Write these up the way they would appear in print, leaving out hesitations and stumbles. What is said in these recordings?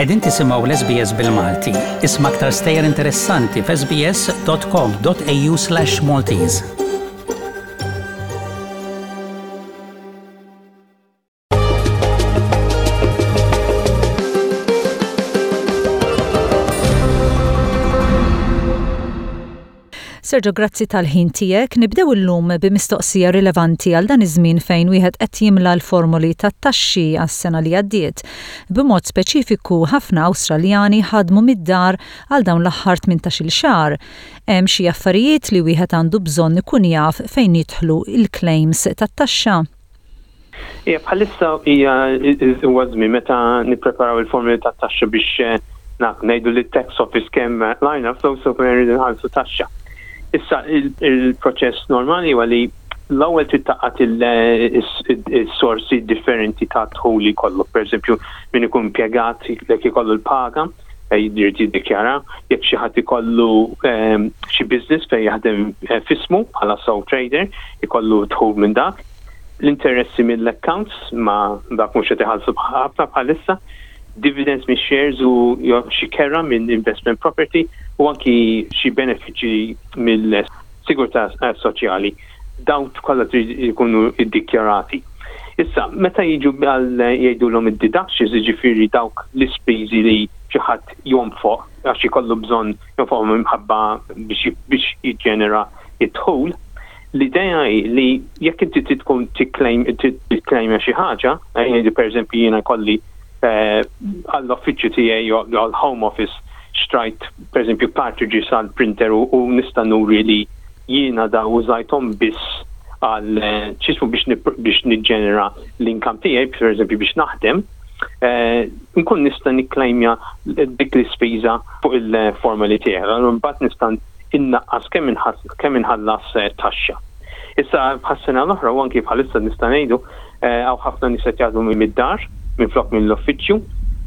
Qegħdin tisimgħu l-SBS bil-Malti. Isma' aktar stejjer interessanti f'sbs.com.au/maltese. Sergio, grazzi tal-ħin tiegħek. Nibdew illum bi mistoqsija rilevanti għal dan iż-żmien fejn wieħed qed jimla l-formoli tat-taxxi għas-sena li għaddiet. B'mod speċifiku, ħafna Awstraljani ħadmu mid-dar għal dawn l-aħħar 18-il xahar. Hemm xi affarijiet li wieħed għandu bżonn ikun jaf fejn jidħlu l-claims tat-taxxa? Ija, bħalissa hija huwa żmien meta nippreparaw il-formuli tat-taxxa biex eh, naf ngħidu li tax office kemm lajna flus u kemm irridu nħallsu taxxa. Issa il-proċess normali huwa li l-ewwel trid taqgħad il-sorsi differenti ta' dħul li jkollok. Pereżempju, min ikun impjegat jekk ikollu l-paga, eh, jrid jiddikjara, jekk xi ħadd ikollu eh, xi business fejn jaħdem fismu bħala sole trader, ikollu dħul minn dak. L-interessi mill-accounts ma dak mhux qed iħallsu ħafna bħalissa, dividends mix shares u xi kera minn investment property u anki xi benefiċċji mill-sigurtà soċjali. Dawn kollha trid ikunu iddikjarati. Issa, meta jiġu għal jgħidulhom id-deductions, jiġifieri dawk l-ispiżi li xi ħadd jonfoq għax ikollu bżonn jonfoqhom imħabba biex jiġġenera d-dħul, L-idea hi li jekk inti trid tkun tikklejmja xi ħaġa, ngħidu pereżempju jiena jkolli eh, għall-uffiċċju tiegħi jew għall-home office xtrajt pereżempju cartridges għall printer u nista' nuri li jiena da użajthom biss għal eh, x'ismu biex niġġenera l-income tiegħi, pereżempju biex naħdem, eh, nkun nista' nikklejmja dik l-ispiża fuq il-formali tiegħi. Mbagħad nista' innaqqas kemm kemm inħallas taxxa. Issa bħas-sena l-oħra u anki bħalissa nista' ngħidu hawn ħafna nies qed jaħdmu mid-dar minflok mill-uffiċċju.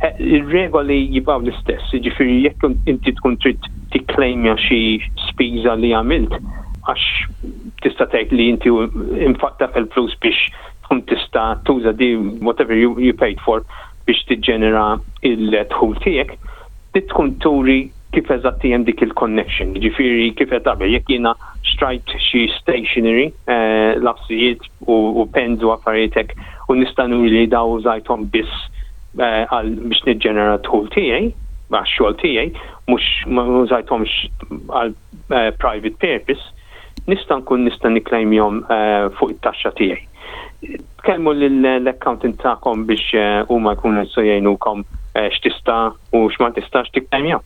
Ir-regoli jibqgħu l-istess, jiġifieri jekk inti tkun trid tikklejmja xi spiża li għamilt għax tista' tgħid li inti infaqt dak il-flus biex tkun tista' tuża di whatever you, you paid for biex tiġġenera il-dħul tiegħek, trid tkun turi kif eżatt hemm dik il-connection. Jiġifieri kif qed qabel, jekk jiena xtrajt xi stationery, eh, lapsijiet u pens u affarijiet hekk u nista' nuri li daw użajthom biss eh, għal biex niġġenera d-dħul tiegħi, għax-xogħol tiegħi, mhux ma użajthomx għal eh, private purpose, nista' nkun nista' nikklejmjhom fuq it-taxxa tiegħi. Tkellmu lill-accountant tagħkom biex huma jkunu jistgħu jgħinukom x'tista' u x'ma tistax tikklejmja.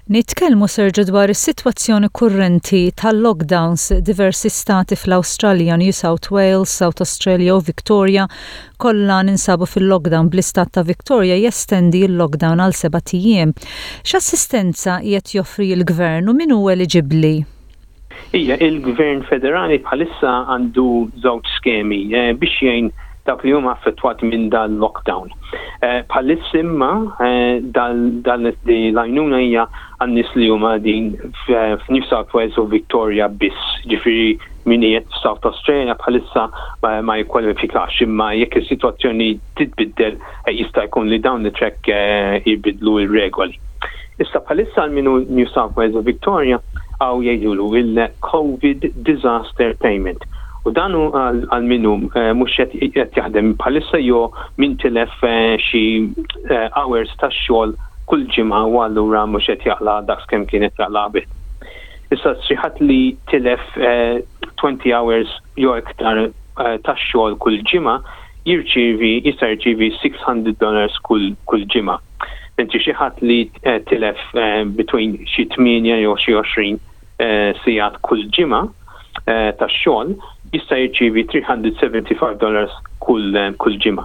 Nitkellmu Sergio dwar is-sitwazzjoni kurrenti tal-lockdowns diversi stati fl-Awstralja, New South Wales, South Australia u Victoria kollha ninsabu fil-lockdown bl-istat ta' Victoria jestendi l-lockdown għal sebat ijiem. X'assistenza qiegħed joffri l-Gvern u min hu eliġibbli? Ija, il-Gvern Federali bħalissa għandu żewġ skemi eh, biex jgħin dawk li huma affettwati minn dal-lockdown. Eh, bħalissa imma eh, dan l-għajnuna hija għan-nies li huma din f'New South Wales u Victoria biss, ġifieri min qiegħed f'South Australia bħalissa ma jikkwalifikax imma jekk is-sitwazzjoni titbiddel jista' jkun li down the track jibidlu r-regoli. Issa bħalissa għal min hu New South Wales u Victoria hawn jgħidulu il-Covid Disaster Payment. U dan hu għal min hu eh, mhux qed jaħdem bħalissa jew min tilef eh, xi eh, hours ta' xogħol kull ġimgħa u allura mhux qed jaqla' daqs kemm kien qed jaqla' qabel. Issa xi ħadd li tilef 20 hours jew iktar ta' xogħol kull ġimgħa jirċievi jista' jirċievi 600 dollars kull kull ġimgħa. Mentri xi ħadd li eh, tilef eh, between xi 8 jew xi 20 eh, sigħat kull ġimgħa ta' xogħol jista' jirċievi 375 dollars kull kull ġimgħa.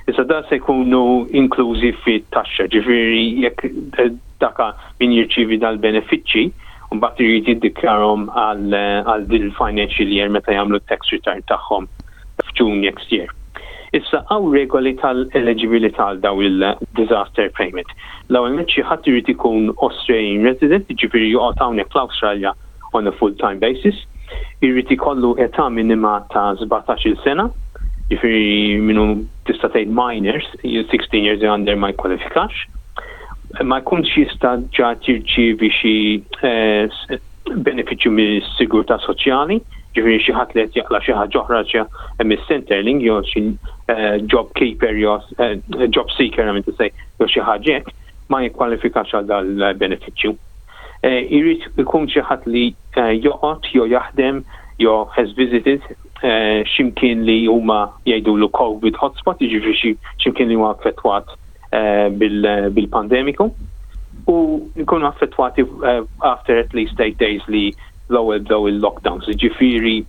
Issa da se jkunu inklużi fit-taxxa, ġifieri jekk daka min jirċievi dal-benefiċċji, mbagħad irid jiddikjarhom għal din il-financial year meta jagħmlu t-tax return tagħhom f'June next year. Issa hawn regoli tal-eliġibilità għal dawn il-disaster payment. L-ewwel nett xi ħadd irid ikun Australian resident, jiġifieri joqgħod hawnhekk fl-Awstralja on a full-time basis. Irid ikollu età minima ta' 17-il sena, jiġifieri min hu tista' tgħid minors, 16 years and under ma jikkwalifikax. Ma jkunx jista' ġa jirċievi xi benefiċċju mis-sigurtà soċjali, ġifieri xi ħadd li qed jaqla' xi ħaġa oħra xi mis-Centrelink jew xi job keeper jew job seeker I mean to say jew xi ħaġa hekk, ma jikkwalifikax għal dal-benefiċċju. Irid ikun xi ħadd li joqgħod jew jaħdem jew has visited x'imkien li huma jgħidulu COVID hotspot, jiġifieri x'imkien li huwa affettwat bil-pandemiku u nkunu affettwati after at least 8 days li l-ewwel bdew il-lockdowns. Ġifieri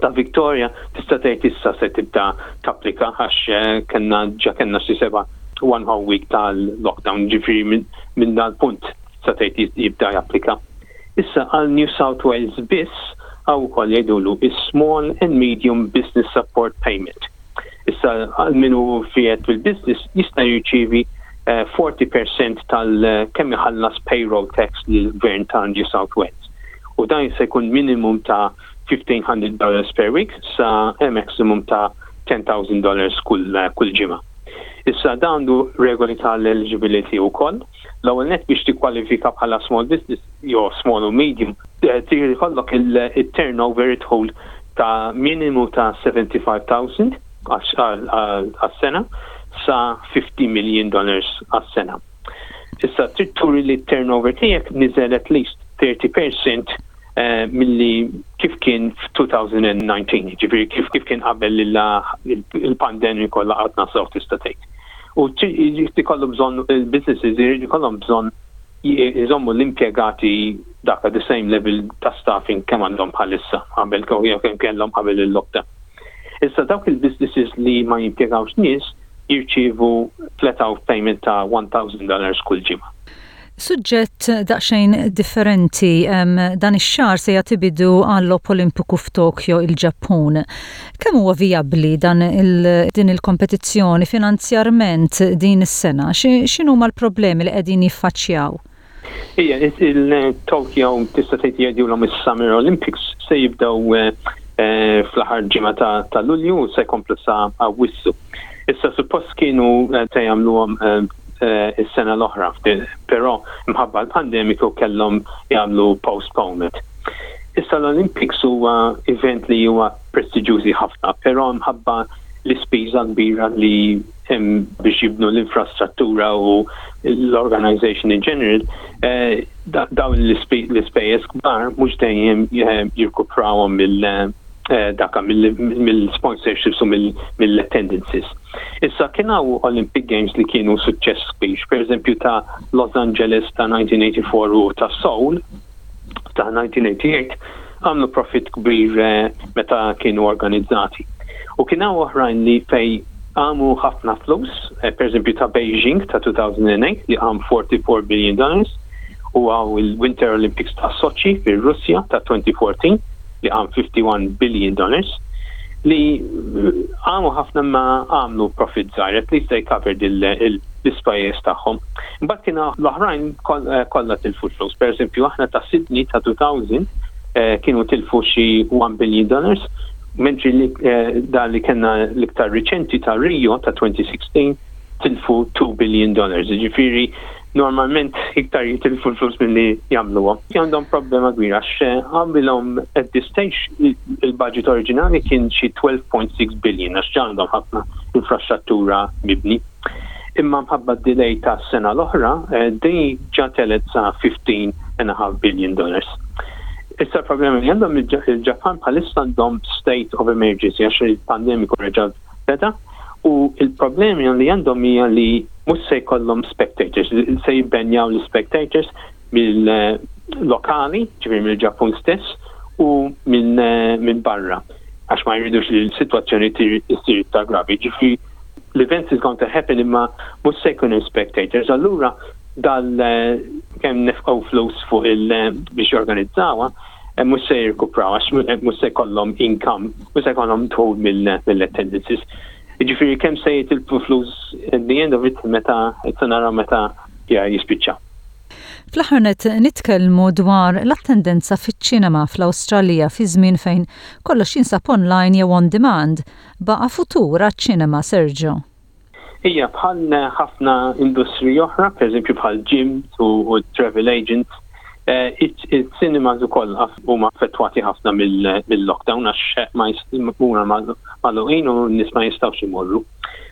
ta' Victoria tista' tgħid issa se tibda tapplika għax kellna ġa kellna xi seba' one whole week tal-lockdown, ġifieri minn dal-punt tista' tgħid jibda japplika. Issa għal New South Wales biss hawn ukoll jgħidulu is-Small and Medium Business Support Payment. Issa għal min hu fiet fil-business jista' jirċievi 40% tal kemm iħallas payroll tax lill-Gvern ta' New South Wales. U dan se jkun minimum ta' $1,500 per week sa maximum ta' $10,000 kull, kull ġimgħa. Issa dan għandu regoli tal-eligibility wkoll. L-ewwel nett biex tikkwalifika bħala small business jew small u medium, trid ikollok il-turnover id-dħul ta' minimu ta' 75,000 għas-sena sa 50 million dollars għas-sena. Issa trid turi li t-turnover tiegħek niżel at least 30% milli kif kien f'2019, ġifieri kif kif kien qabel il-pandemija kollha qatna sew tista' tgħid. U jrid ikollu bżonn il-businesses irid ikollhom bżonn jżommu l-impjegati dak at the same level ta' staffing kemm għandhom bħalissa qabel jew kemm kellhom qabel il-lockdown. Issa dawk il-businesses li ma jimpjegawx nies jirċievu flat out payment ta' $1,000 kull ġimgħa. Suġġett daqsxejn differenti, dan ix-xahar se jagħti bidu għal-Logħob Olimpiku f'Tokyo, il-Ġappun. Kemm huwa vijabbli dan il, din il-kompetizzjoni finanzjarment din is-sena? X'inhuma l-problemi li qegħdin jiffaċċjaw? Ija, il-Tokyo tista' tgħid jgħidulhom is-Summer Olympics se jibdew fl-aħħar ġimgħa ta' Lulju u se jkomplu sa Awwissu. Issa suppost kienu se jagħmluhom is-sena l-oħra, però mħabba l-pandemiku kellhom jagħmlu postponement. Issa l-Olympics huwa event li huwa prestiġjużi ħafna, però mħabba l-ispiża kbira li hemm biex jibnu l-infrastruttura u l-organization in general, dawn l-ispejjeż kbar mhux dejjem jirkuprawhom mill daka mill-sponsorships u mill-attendances. Issa kien hawn Olympic Games li kienu suċċess kbir, pereżempju ta' Los Angeles ta' 1984 u ta' Seoul ta' 1988 għamlu profit kbir meta kienu organizzati. U kien hawn oħrajn li fej għamu ħafna flus, pereżempju ta' Beijing ta' 2008 li għam 44 billion dollars, u għaw il-Winter Olympics ta' Sochi fir-Russja ta' 2014 li għam 51 billion dollars li għamu ħafna ma għamlu profit żgħir, at least they covered l-ispejjeż tagħhom. Imbagħad kien l-oħrajn kollha tilfu flus. Per eżempju, aħna ta' Sydney ta' 2000 kienu tilfu xi 1 billion dollars, mentri li dan li kellna l-iktar riċenti ta' Rio ta' 2016 tilfu 2 billion dollars. Ġifieri normalment iktar jitilfu l-flus milli jagħmluhom. Għandhom problema kbira għax għamilhom at this stage il-budget oriġinali kien xi 12.6 billion għax għandhom ħafna infrastruttura mibni. Imma mħabba delay ta' sena l-oħra, din ġa telet sa 15.5 billion dollars. Issa l-problema li għandhom il-Ġapan bħalissa għandhom state of emergency għax il-pandemiku reġa' beda u il-problemi li għandhom hija li mhux se jkollhom spectators, se jibbenjaw l-spectators mill-lokali, ġifieri mill-Ġappun stess, u minn min barra għax ma jridux li l-sitwazzjoni issir iktar gravi. Ġifieri l-event is going to happen imma mhux se jkun spectators. Allura dal kemm nefqgħu flus fuq il biex jorganizzawha, mhux se jirkupraw għax mhux se jkollhom income, mhux se jkollhom dħul mill-attendances. Ġifieri kemm se jitilfu flus at the end of it meta se naraw meta jispiċċa. Fl-aħħar nett nitkellmu dwar l-attendenza fiċ-ċinema fl-Awstralja fi żmien fejn kollox jinsab online jew on demand. Baqa' futur għaċ-ċinema, Sergio? Ija, bħal ħafna industriji oħra, per eżempju bħal gyms u travel agents, eh, il-cinemas ukoll huma affettwati ħafna mill-lockdown għax ma huma magħluqin u n-nies ma jistgħux imorru.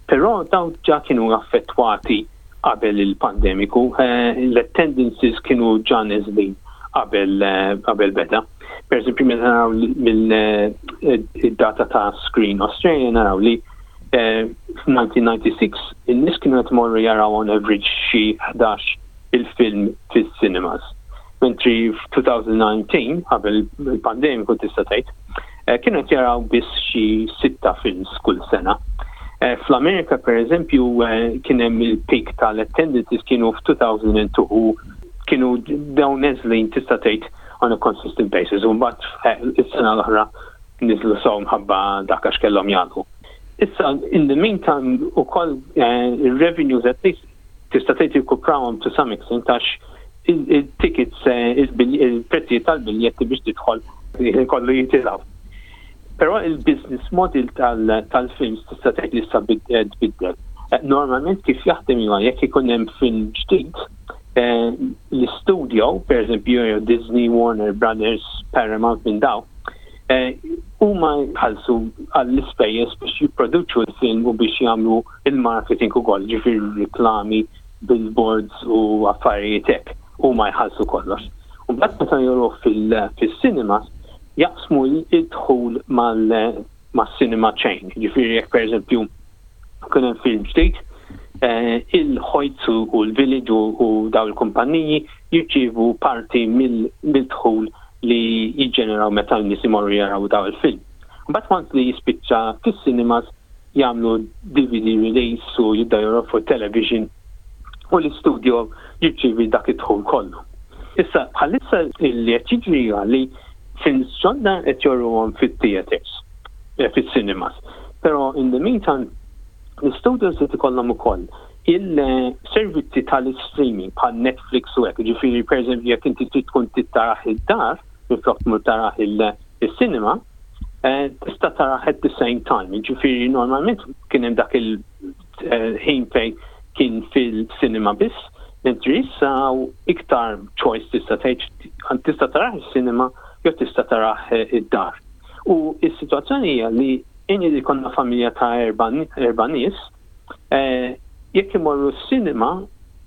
Però dawn ġa kienu affettwati qabel il-pandemiku, eh, l-attendances kienu ġa neżlin qabel eh, qabel beda. Per eżempju, meta naraw mill-data ta' Screen Australia naraw li F'1996 in-nies kienu qed imorru jaraw on average xi 11 il-film fis-cinemas. Mentri f'2019, qabel il-pandemiku tista' tgħid, eh, kienu qed jaraw biss xi sitta films kull sena. Eh, Fl-Amerika per eżempju eh, kien hemm il-peak tal-attendances kienu f'2002 u kienu dawn neżlin tista' tgħid on a consistent basis u mbagħad is-sena l-oħra niżlu sew mħabba dak għax kellhom jagħlqu. Issa, in the meantime, ukoll eh, il-revenues at least tista' tgħid jirkuprawhom to some extent għax il-tickets, eh, il-prezzijiet tal-biljetti biex tidħol kollu jitilgħu. Però il-business model tal-films tista' tgħid li issa eh, tbiddel. Normalment kif jaħdem huwa jekk ikun hemm film ġdid, l-studio, per eżempju Disney, Warner Brothers, Paramount minn daw, Eh, huma jħallsu għall-ispejjeż biex jipproduċu l-film u biex jagħmlu il-marketing ukoll, ġifieri riklami, billboards u affarijiet hekk. Huma jħallsu kollox. U mbagħad meta joruh fil-cinemas jaqsmu il-dħul mal-cinema chain. Ġifieri jekk pereżempju kien hemm film ġdid, eh, il-Hoyts u l-Village u daw il-kumpanniji jirċievu parti mill-dħul li jiġġeneraw meta n-nies imorru jaraw daw il-film. Mbagħad once li jispiċċa fis-cinemas jagħmlu DVD release u jibda joru fuq television u l-istudio jirċievi dak id-dħul kollu. Issa bħalissa li qed jiġri li films ġodda qed joruhom fit-theaters, eh, fis-cinemas. Però in the meantime l-studios qed ikollhom ukoll il-servizzi tal-streaming bħal Netflix u hekk, ġifieri pereżempju jekk inti trid tkun trid tarah id-dar minflok tmur tarah il-cinema, eh, tista' tarah at the same time. Ġifieri normalment kien hemm dak il-ħin fejn kien fil-cinema biss, mentri issa iktar choice tista' tgħid tista' tarah is-cinema jew tista' tarah id-dar. U s-sitwazzjoni hija li inni li konna familja ta' erba' nies, Eh, jekk imorru s-cinema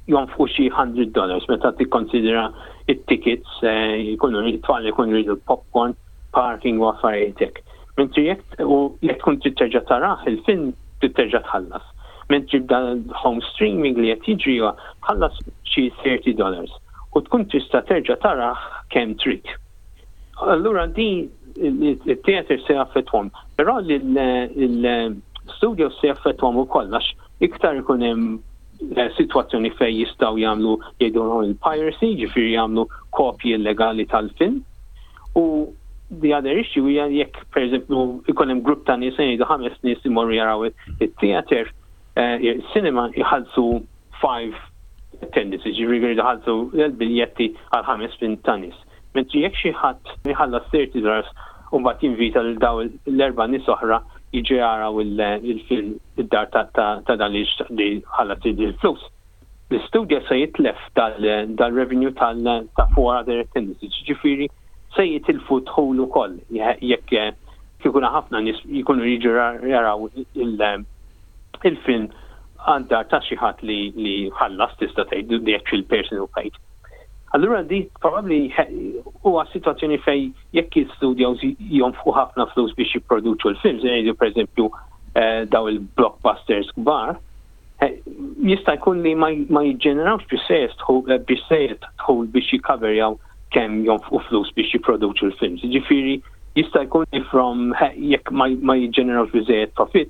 jonfqu xi 100 dollars meta tikkonsidra it-tickets eh, jkunu it-tfal jkunu jridu popcorn, parking u affarijiet hekk. Mentri jekk u jekk tkun trid terġa' tarah il-film trid terġa' tħallas. Mentri b'dan home streaming li qed jiġri tħallas xi 30 dollars u tkun tista' terġa' tarah kemm trid. Allura din il-theater se jaffettwahom, però l-studios se jaffettwahom ukoll għax iktar ikun hemm eh, sitwazzjoni fejn jistgħu jagħmlu jgħidulhom il-piracy, ġifieri jagħmlu kopji illegali tal-film. U the other issue hija jekk pereżempju ikun hemm grupp ta' nies jgħidu ħames nies imorru jaraw it-theater, eh, il-cinema jħallsu five attendances, ġifieri jħallsu l-biljetti għal ħames minn ta' nies. Mentri jekk xi ħadd jħallas 30 dollars u mbagħad jinvita lil daw l-erba' nies oħra jiġu jaraw il-film id-dar ta' dan li ħallas il-flus. L-istudja se jitlef dal-revenue ta' four other attendances, ġifieri se jitilfu dħul ukoll jekk kieku ħafna nies jkunu jiġu jaraw il-film għad-dar ta' xi ħadd li ħallas tista' tgħid the actual person who paid. Allura di probabbli huwa sitwazzjoni fejn jekk il-studios jonfqu ħafna flus biex jipproduċu l-films, ngħidu pereżempju eh, daw il-blockbusters kbar, eh, jista' jkun li ma jiġġenerawx eh, biżejjed dħul biex jikkaverjaw kemm jonfqu flus biex jipproduċu l-films. Ġifieri jista' jkun li from jekk ma jiġġenerawx biżejjed profit,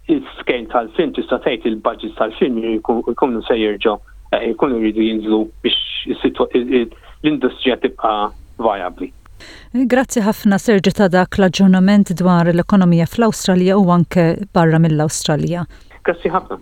il-scale tal-film tista' tgħid il-budget tal-film jkunu se jerġgħu eh, jkunu jridu jinżlu biex l-industrija tibqa' viabli. Grazzi ħafna Sergio ta' dak l-aġġornament dwar l-ekonomija fl-Awstralja u anke barra mill-Awstralja. Grazzi ħafna.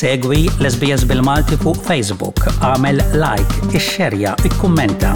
Segwi l-SBS bil-Malti fuq Facebook, agħmel like, ixxerja, ikkummenta.